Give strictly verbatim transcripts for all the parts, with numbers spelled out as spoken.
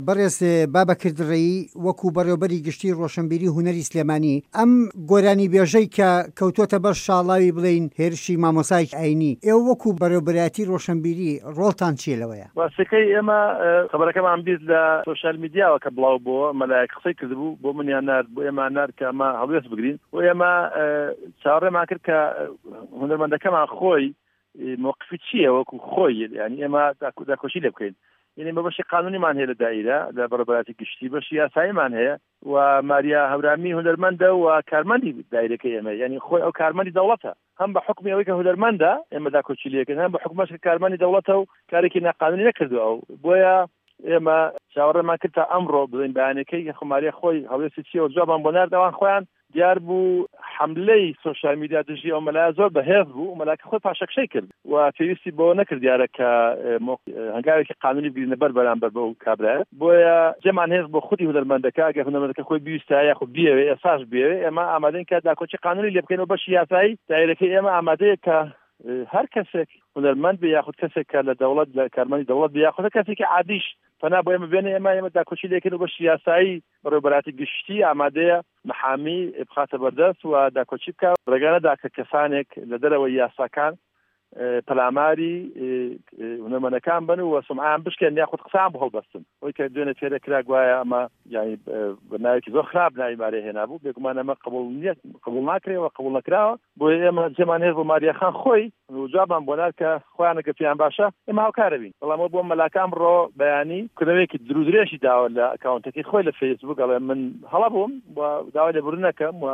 بەڕێز بابەکر دڕەیی، وەکو بەڕێوبەری گشتی ڕۆشنبیری هونەری سلێمانی، ئەم گۆرانیبێژەی کە کەوتۆتە بەر شاڵاوی بڵێین هێرشی مامۆستایەکی ئاینی، ئێوە وەکو بەڕێوبەرایەتی ڕۆشنبیری ڕۆڵتان چییە لەوەیە؟ ڕاستەکەی ئێمە خەبەرەکەمان بیست لە سۆشیال میدیاوە کە بڵاو بۆوە، مەلایەک قسەی کردبوو، بۆ منیان نارد، بۆ ئێمەیان نارد کە ئەمە هەڵوێست بگرین و ئێمە چاوەڕێمان کرد کە هونەرمەندەکەمان خۆی مەوقفی چییە وەکو خۆی، یعنی ئێمە داکۆشی لێ بکەین. یعنی بە بەشی قانونیمان هەیە لە دایرە لە بەڕێوەبەرایەتی گشتی، بەشی یاساییمان هەیە و ماریا هەورامی هونەرمەندە و کارمەندی دایرەکەی ئێمە، یعنی خۆی ئەو کارمەندی دەوڵەتە، هەم بە حکمی ئەوەی کە هونەرمەندە ئێمە داکۆکی لێکرد، هەم بە حکومەش کە کارمەندی دەوڵەتە و کارێکی ناقانونی نەکردو ئەو. بۆیە ئێمە چاوەڕێمان کرد تا ئەمڕۆ بڵێین بەیانەکەی کە ماریا خۆی هەڵوێستی چییە و جوابمان بۆ نارد. ئەوان خۆیان دیار بوو حملەی سۆشیال میدیا دژی ئەو مەلایە زۆر بەهێز بوو، مەلاکە خۆی پاشەکشەی کرد و پێویستی بەوە نەکرد دیارە کە هەنگاوێکی قانونی بگرینە بەر بەرامبەر بەو کابرایە. بۆیە جێمان هێز بۆ خودی هونەرمەندەکە، ئەگەر هونەرمەندەکە خۆی بیویستە یاخود بیەوێ ئێساش بیەوێ، ئێمە ئامادەین کە داکۆکی قانونی لێ بکەین و بەشی یاسایی دایرەکەی ئێمە ئامادەیە کە هەر کەسێک هونەرمەند بێ یاخود کەسێک کە لە دەوڵەت لە کارمەندی دەوڵەت بێ یاخود کەسێکی عادیش پەنا بۆ ئێمە بێنێ، ئێمە ئێمە داکۆکی لێکەین و بەشی یاسایی بەڕێوەبەرایەتی گشتی ئامادەیە محامی بخاتە بەردەست و داکۆکی بکە. ڕێگا نەدا کە کەسانێک لە دەرەوەی یاساکان پەلاماری هونەرمەندەکان بن و سومعیان بشکێن یاخود قسەیان بۆ هەڵبەستن. ئەوەی کە دوێنێ تێرە کرا گوایە ئەمە یعنی بە ناوێکی زۆر خراپ ناوی ماریا هێنابوو، بێگومان ئەمە قبوڵ نییە، قبوڵ ناکرێ و قبوڵ نەکراوە. بۆیە ئێمە جێمان هێز بۆ ماریا خان خۆی و جوابمان بۆ نارد کە خۆیانە کە پێیان باشە ئێمە هاوکارە بین. بەڵام ئەو بۆ مەلاکە ئەمڕۆ بەیانی کردەوەیەکی درودرێژی داوە لە ئەکاونتەکەی خۆی لە فەیسبوک، ئەڵێ من هەڵە بووم و داوای لێبوردن ئەکەم و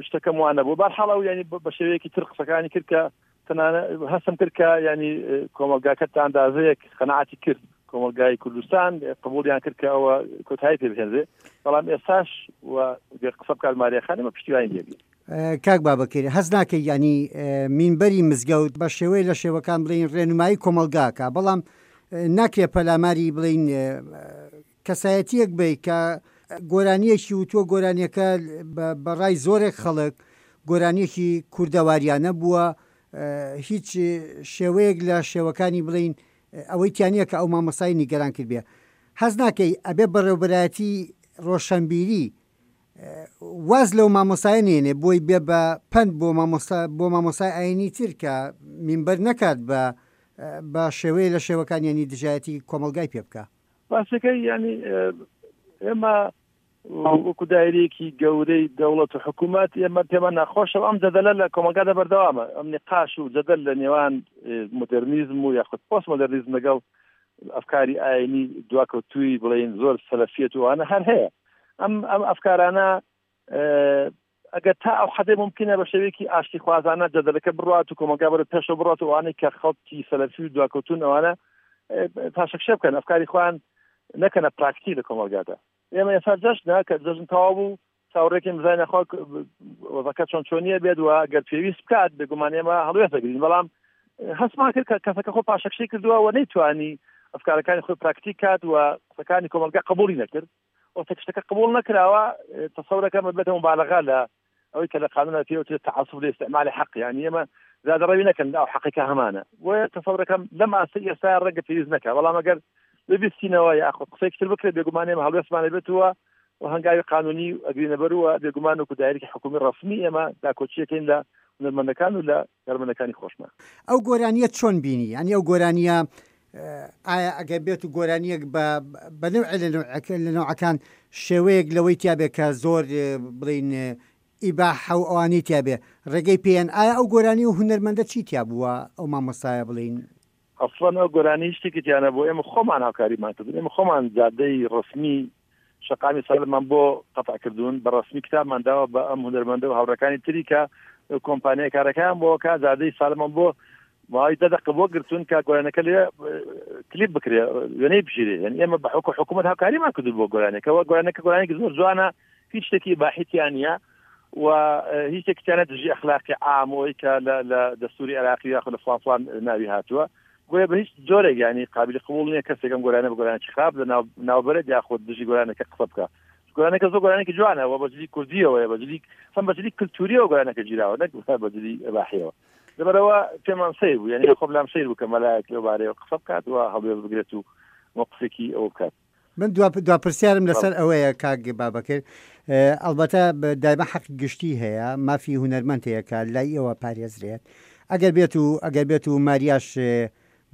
شتەکەم وانە بوو. بەهەرحاڵ ئەو یعنی بە شێوەیەکی تر قسەکانی کرد کە تەنانە هەستم کرد کە یعنی کۆمەڵگاکە تا ئەندازەیەک قەناعەتی کرد، کۆمەڵگای کوردستان قبوڵیان کرد کە ئەوە کۆتایی پێ بهێنرێ. بەڵام ئێستاش و گەر قسە بکات ماریا خان ئێمە پشتیوانی لێبین. کاک بابەکر، هەست ناکەی یعنی مینبەری مزگەوت بە شێوەی لە شێوەکان بڵین ڕێنمایی کۆمەڵگاکە، بەڵام ناکرێ پەلاماری بڵین کەسایەتیەک بی کە گۆرانیەکی وتووە، گۆرانیەکە بەڕای زۆرێک خەڵک گۆرانیەکی کوردەواریانە بووە، هیچ شێوەیەک لە شێوەکانی بڵین ئەوەی تیانە کە ئەو مامۆستای نیگەران کرد بێ. هەست ناکەی ئەبێ بەڕێوبەرایەتی ڕۆشنبیری واز لەو مامۆستای نێنێ بۆی بێ بە پەند بۆ مامۆستا بۆ مامۆستای ئاینی تر کە مینبەر نەکات بە بە شێوەیە لە شێوەکان یعنی دژایەتی کۆمەلگای پێ بکە؟ ڕاستەکەی یعنی ئێمە وەکو دایرەیەکی گەورەی دەوڵەت و حکوومەت ئێمە پێمان ناخۆشە ئەم جەدەلە لە کۆمەلگادا بەردەوامە، ئەم نقاش و جەدەل لە نێوان مۆدرنیزم و یاخود پۆست مۆدرنیزم لەگەڵ ئەفکاری ئاینی دواکەوتووی بڵێین زۆر سەلەفیەت و ئەوانە هەر هەیە. ئەم ئەم ئەفکارانە ئەگەر تا ئەو حەدەی ممکنە بە شێوەیەکی ئاشتیخوازانە جەدەلەکە بڕات و کۆمەلگا بەرەو پێشەوە بڕات و ئەوانەی کە خەڵکی سەلەفی و دواکەوتوون ئەوانە پاشەکشە بکەن، ئەفکاری خۆیان نەکەنە پراکتیک لە کۆمەلگادا. ئێمە ئێستا جەژنە کە جەژن تەواو بوو چاوەڕێکین بزانین خوا وەزەکە چۆن چۆنیە بێت و ئەگەر پێویست بکات بێگومان ئێمە هەڵوێست دەگرین. بەڵام هەستمان کرد کە کەسەکە خۆ پاشەکشەی کردووە و نەیتوانی ئەفکارەکانی خۆی پراکتیک کات و قسەکانی کۆمەلگا قبوڵی نەکرد. وەختێک شتەکە قبوڵ نەکراوە تەسەورەکەم ببێتە مبالغە لە ئەوەی کە لە قانونە پێوترێت تعصب لە استعمال حەق، یعنی ئێمە زیادەڕەوی نەکەن ئەو حەقی کە هەمانە. بۆیە تەسەورەکەم لەم ئاستەی ئێستا ڕەنگە پێویست نەکا، بەڵام ئەگەر ببیستینەوە یاخود قسەیەکی تر بکرێت بێگومان ئێمە هەڵوێستمان ئەبێتەوە و هەنگاوی قانونی ئەگرینە بەروە. بێگومان وەکو دایرەکی حکومی ڕەسمی ئێمە داکۆکیەکەین لە هونەرمەندەکان و لە کارمەندەکانی خۆشمان. ئەو گۆرانیە چۆن بینی؟ یعنی ئەو گۆرانیە ئایا ئەگەر بێت و گۆرانیەک بە نەوعێ لە نەوعەکان شێوەیەک لەوەی تیابێ کە زۆر بڵین ئیباحە و ئەوانەی تیابێ ڕێگەی پێیان، ئایا ئەو گۆرانی و هونەرمەندە چی تیا بووە ئەو مامۆستایە بڵین؟ ئەسڵەن ئەو گۆرانی شتێکی تیانە بۆ ئێمە خۆمان هاوکاریمان کردن، ئێمە خۆمان جادەی ڕەسمی شەقامی سالمان بۆ قەتع کردوون، بە ڕەسمی کتابمان داوە بە ئەم هونەرمەندە و هاوڕێکانی تری کە کۆمپانیای کارەکان بۆ کە جادەی سالمان بۆ ماوەی دە دەقە بۆ گرتوون کە گۆرانەکە لێ کلیپ بکرێ وێنەی بگیرێ. یعنی ئێمە بە حکو حکوومەت هاوکاریمان کردوون بۆ گۆرانەکە و گۆرانەکە گۆرانێکی زۆر جوانە، هیچ شتێکی باحیتیان نییە و هیچ شتێکیان دژی ئەخلاقی عامەوەی کە لە دەستوری عێراقی یاخود لە فڵان فڵان ناوی هاتووە. بۆیە بە هیچ جۆرێک یعنی قابلی قبوڵ نییە کەسێک ئەم گۆرانە بە گۆرانێکی خراپ لە ناوبەرێت یاخود دژی گۆرانەکە قسە بکە. گۆرانەکە زۆر گۆرانێکی جوانە و بە جلی کوردیەوەیە، بە جلی هەم بە جلی کلتوریەوە گۆرانەکە گیراوە نەک بە جلی ئەباحیەوە. لەبەرەوە پێمان سەیر بوو، یعنی خۆم لام سەیر بوو کە مەلایەک لەو بارەیەوە قسە بکات و هەڵوێست بگرێت و موقفێکی ئەوە بکات. من دوا دوا پرسیارم لەسەر ئەوەیە کاک بابەکر، ئەڵبەتە دایمە حەقی گشتی هەیە، مافی هونەرمەند هەیە کە لای ئێوە پارێزرێت، ئەگەر بێت و ئەگەر بێت و ماریاش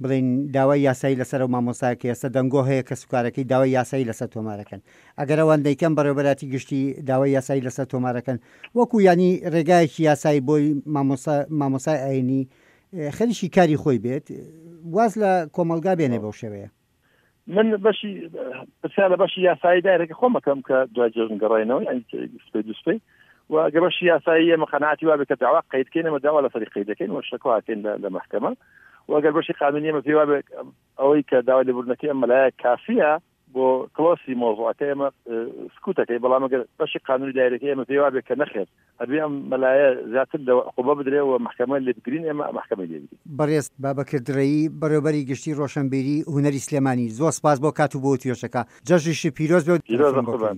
بڵێین داوای یاسایی لەسەر ئەو مامۆستایە کە ئێستا دەنگۆ هەیە کەسوکارەکەی داوای یاسایی لەسەر تۆمارەکەن، ئەگەر ئەوان دەیکەن بەڕێوەبەراتی گشتی داوای یاسایی لەسەر تۆمارەکەن، وەکو یانی ڕێگایەکی یاسایی بۆی مامۆستا مامۆستای ئاینی خەریکی کاری خۆی بێت واز لە کۆمەڵگا بێنێ بەو شێوەیە. من بەشی پرسیار لە بەشی یاسایی دایرەکە خۆم ئەکەم کە دوای جەژن گەڕاینەوە یانی سپەی دوو سپەی و ئەگەر بەشی یاسایی ئێمە قەناعەتی وابێ کە داوا قەید کەین ئێمە داوا لەسەری قەید دەکەین و شەکوا ئەکەین لە مەحکەمە و ئەگەر بەشی قانونی ئێمە پێی وابێ ئەوەی کە داوای لێبوردنەکەی ئەم مەلایە کافیە بۆ کلۆسی مۆزوعەکە ئێمە سکوتەکەی، بەڵام ئەگەر بەشی قانونی دایرەکەی ئێمە پێی وابێ کە نەخێر ئەبێ ئەم مەلایە زیاتر لە عقوبە بدرێ و مەحکەمە لێ بگرین ئێمە مەحکەمەی لێ بگرین. بەڕێز بابەکر دڕەیی بەڕێوەبەری گشتی ڕۆشەنبیری هونەری سلێمانی زۆر سپاس بۆ کات و بۆ وتوێژەکە جەژنیشت پیرۆز بێ و پیرۆزە قوربان.